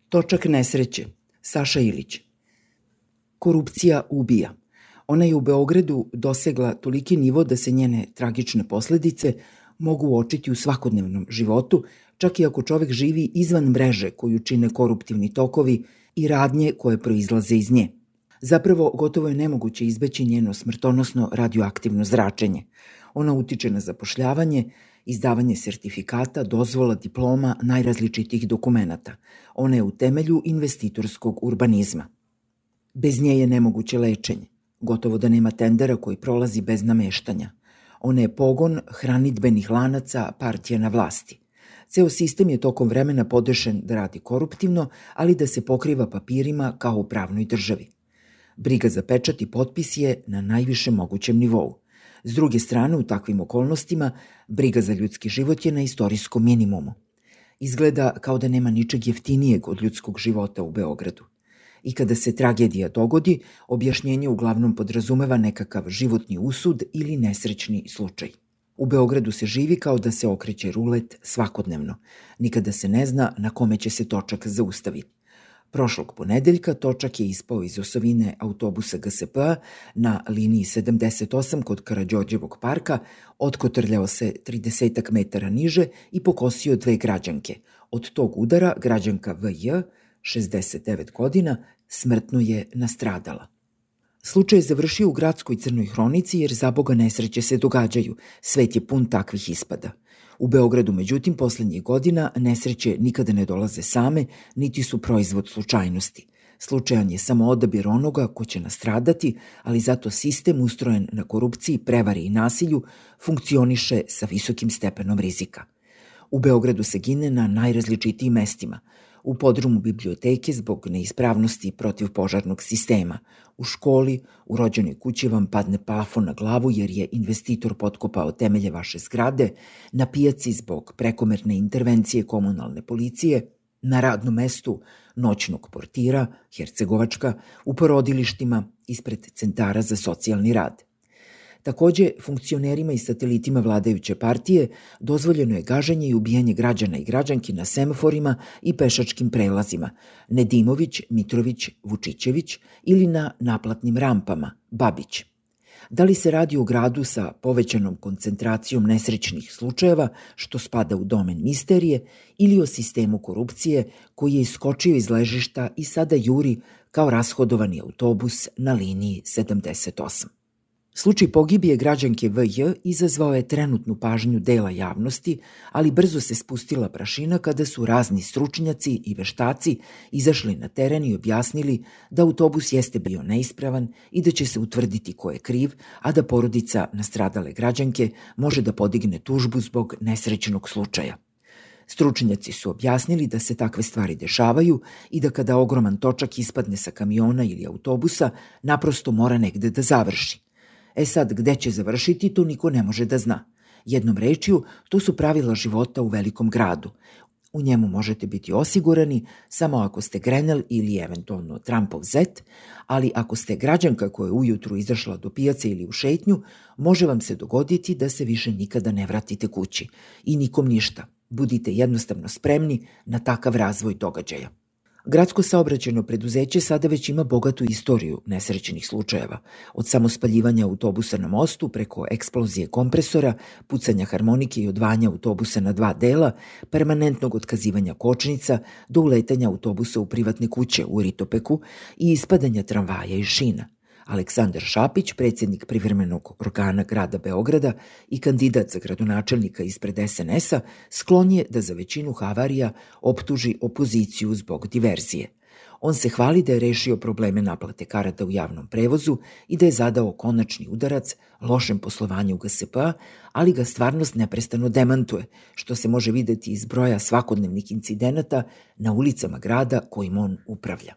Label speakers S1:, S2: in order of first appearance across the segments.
S1: Točak nesreće, Saša Ilić. Korupcija ubija. Ona je u Beogradu dosegla toliki nivo da se njene tragične posledice mogu uočiti u svakodnevnom životu, čak i ako čovek živi izvan mreže koju čine koruptivni tokovi i radnje koje proizlaze iz nje. Zapravo, gotovo je nemoguće izbeći njeno smrtonosno radioaktivno zračenje. Ona utiče na zapošljavanje, izdavanje sertifikata, dozvola, diploma, najrazličitijih dokumenata. Ona je u temelju investitorskog urbanizma. Bez nje je nemoguće lečenje. Gotovo da nema tendera koji prolazi bez nameštanja. Ona je pogon hranidbenih lanaca partija na vlasti. Ceo sistem je tokom vremena podešen da radi koruptivno, ali da se pokriva papirima kao u pravnoj državi. Briga za pečat i potpis je na najvišem mogućem nivou. S druge strane, u takvim okolnostima, briga za ljudski život je na istorijskom minimumu. Izgleda kao da nema ničeg jeftinijeg od ljudskog života u Beogradu. I kada se tragedija dogodi, objašnjenje uglavnom podrazumeva nekakav životni usud ili nesrećni slučaj. U Beogradu se živi kao da se okreće rulet svakodnevno. Nikada se ne zna na kome će se točak zaustaviti. Prošlog ponedeljka točak je ispao iz osovine autobusa GSP-a na liniji 78 kod Karađorđevog parka, otkotrljao se 30 metara niže i pokosio 2 građanke. Od tog udara građanka VJ, 69 godina, smrtno je nastradala. Slučaj je završio u gradskoj crnoj hronici jer za Boga nesreće se događaju. Svet je pun takvih ispada. U Beogradu, međutim, poslednjih godina nesreće nikada ne dolaze same, niti su proizvod slučajnosti. Slučajan je samo odabir onoga ko će nastradati, ali zato sistem ustrojen na korupciji, prevari i nasilju funkcioniše sa visokim stepenom rizika. U Beogradu se gine na najrazličitijim mestima. U podrumu biblioteke zbog neispravnosti protivpožarnog sistema, u školi, u rođenoj kući vam padne plafon na glavu jer je investitor potkopao temelje vaše zgrade, na pijaci zbog prekomerne intervencije komunalne policije, na radnom mestu noćnog portira, Hercegovačka, u porodilištima, ispred centara za socijalni rad. Takođe, funkcionerima i satelitima vladajuće partije dozvoljeno je gaženje i ubijanje građana i građanki na semaforima i pešačkim prelazima Nedimović, Mitrović, Vučićević ili na naplatnim rampama Babić. Da li se radi o gradu sa povećanom koncentracijom nesrećnih slučajeva, što spada u domen misterije, ili o sistemu korupcije koji je iskočio iz ležišta i sada juri kao rashodovani autobus na liniji 78. Slučaj pogibije građanke VJ izazvao je trenutnu pažnju dela javnosti, ali brzo se spustila prašina kada su razni stručnjaci i veštaci izašli na teren i objasnili da autobus jeste bio neispravan i da će se utvrditi ko je kriv, a da porodica nastradale građanke može da podigne tužbu zbog nesrećnog slučaja. Stručnjaci su objasnili da se takve stvari dešavaju i da kada ogroman točak ispadne sa kamiona ili autobusa, naprosto mora negde da završi. Sad, gde će završiti, to niko ne može da zna. Jednom rečju, to su pravila života u velikom gradu. U njemu možete biti osigurani samo ako ste Grenell ili eventualno Trumpov zet, ali ako ste građanka koja je ujutru izašla do pijace ili u šetnju, može vam se dogoditi da se više nikada ne vratite kući. I nikom ništa. Budite jednostavno spremni na takav razvoj događaja. Gradsko saobraćajno preduzeće sada već ima bogatu istoriju nesrećnih slučajeva, od samospaljivanja autobusa na mostu preko eksplozije kompresora, pucanja harmonike i odvajanja autobusa na 2 dela, permanentnog otkazivanja kočnica do uletanja autobusa u privatne kuće u Ritopeku i ispadanja tramvaja iz šina. Aleksandar Šapić, predsjednik privremenog organa grada Beograda i kandidat za gradonačelnika ispred SNS-a, sklon je da za većinu havarija optuži opoziciju zbog diverzije. On se hvali da je rešio probleme naplate karata u javnom prevozu i da je zadao konačni udarac lošem poslovanju GSP-a, ali ga stvarnost neprestano demantuje, što se može videti iz broja svakodnevnih incidenata na ulicama grada kojim on upravlja.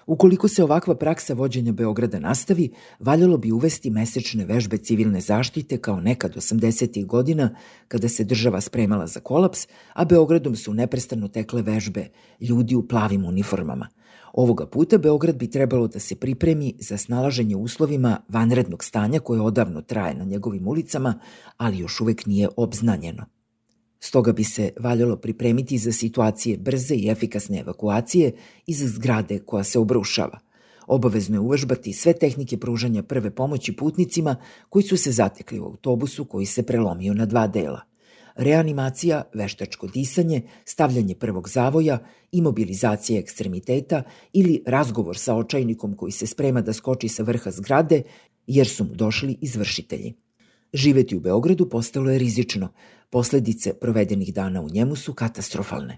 S1: Ukoliko se ovakva praksa vođenja Beograda nastavi, valjalo bi uvesti mesečne vežbe civilne zaštite kao nekad 80. godina kada se država spremala za kolaps, a Beogradom su neprestano tekle vežbe ljudi u plavim uniformama. Ovoga puta Beograd bi trebalo da se pripremi za snalaženje uslovima vanrednog stanja koje odavno traje na njegovim ulicama, ali još uvek nije obznanjeno. Stoga bi se valjalo pripremiti za situacije brze i efikasne evakuacije iz zgrade koja se obrušava. Obavezno je uvežbati sve tehnike pružanja prve pomoći putnicima koji su se zatekli u autobusu koji se prelomio na 2 dela. Reanimacija, veštačko disanje, stavljanje prvog zavoja, imobilizacija ekstremiteta ili razgovor sa očajnikom koji se sprema da skoči sa vrha zgrade jer su mu došli izvršitelji. Živeti u Beogradu postalo je rizično. Posledice provedenih dana u njemu su katastrofalne.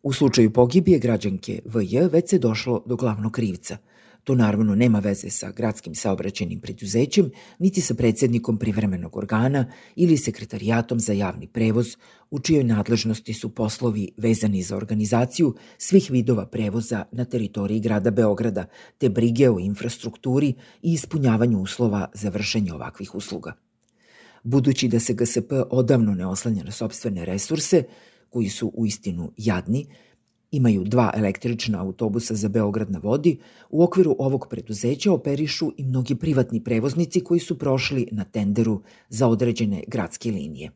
S1: U slučaju pogibije građanke VJ već se došlo do glavnog krivca. To naravno nema veze sa gradskim saobraćajnim preduzećem, niti sa predsjednikom privremenog organa ili sekretarijatom za javni prevoz, u čijoj nadležnosti su poslovi vezani za organizaciju svih vidova prevoza na teritoriji grada Beograda, te brige o infrastrukturi i ispunjavanju uslova za vršenje ovakvih usluga. Budući da se GSP odavno ne oslanja na sopstvene resurse, koji su uistinu jadni, imaju 2 električna autobusa za Beograd na vodi, u okviru ovog preduzeća operišu i mnogi privatni prevoznici koji su prošli na tenderu za određene gradske linije.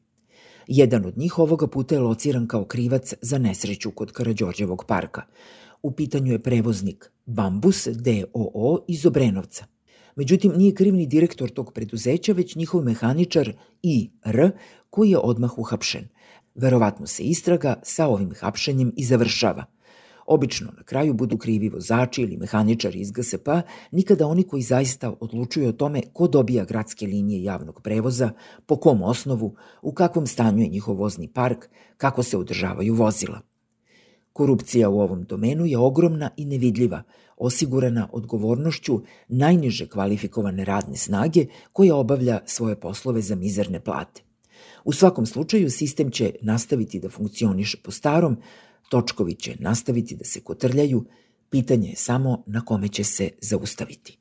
S1: Jedan od njih ovoga puta je lociran kao krivac za nesreću kod Karađorđevog parka. U pitanju je prevoznik Bambus d.o.o. iz Obrenovca. Međutim, nije kriv ni direktor tog preduzeća, već njihov mehaničar I.R. koji je odmah uhapšen. Verovatno se istraga sa ovim hapšenjem i završava. Obično na kraju budu krivi vozači ili mehaničari iz GSP-a, nikada oni koji zaista odlučuju o tome ko dobija gradske linije javnog prevoza, po kom osnovu, u kakvom stanju je njihov vozni park, kako se održavaju vozila. Korupcija u ovom domenu je ogromna i nevidljiva, osigurana odgovornošću najniže kvalifikovane radne snage koja obavlja svoje poslove za mizerne plate. U svakom slučaju, sistem će nastaviti da funkcioniše po starom, točkovi će nastaviti da se kotrljaju, pitanje je samo na kome će se zaustaviti.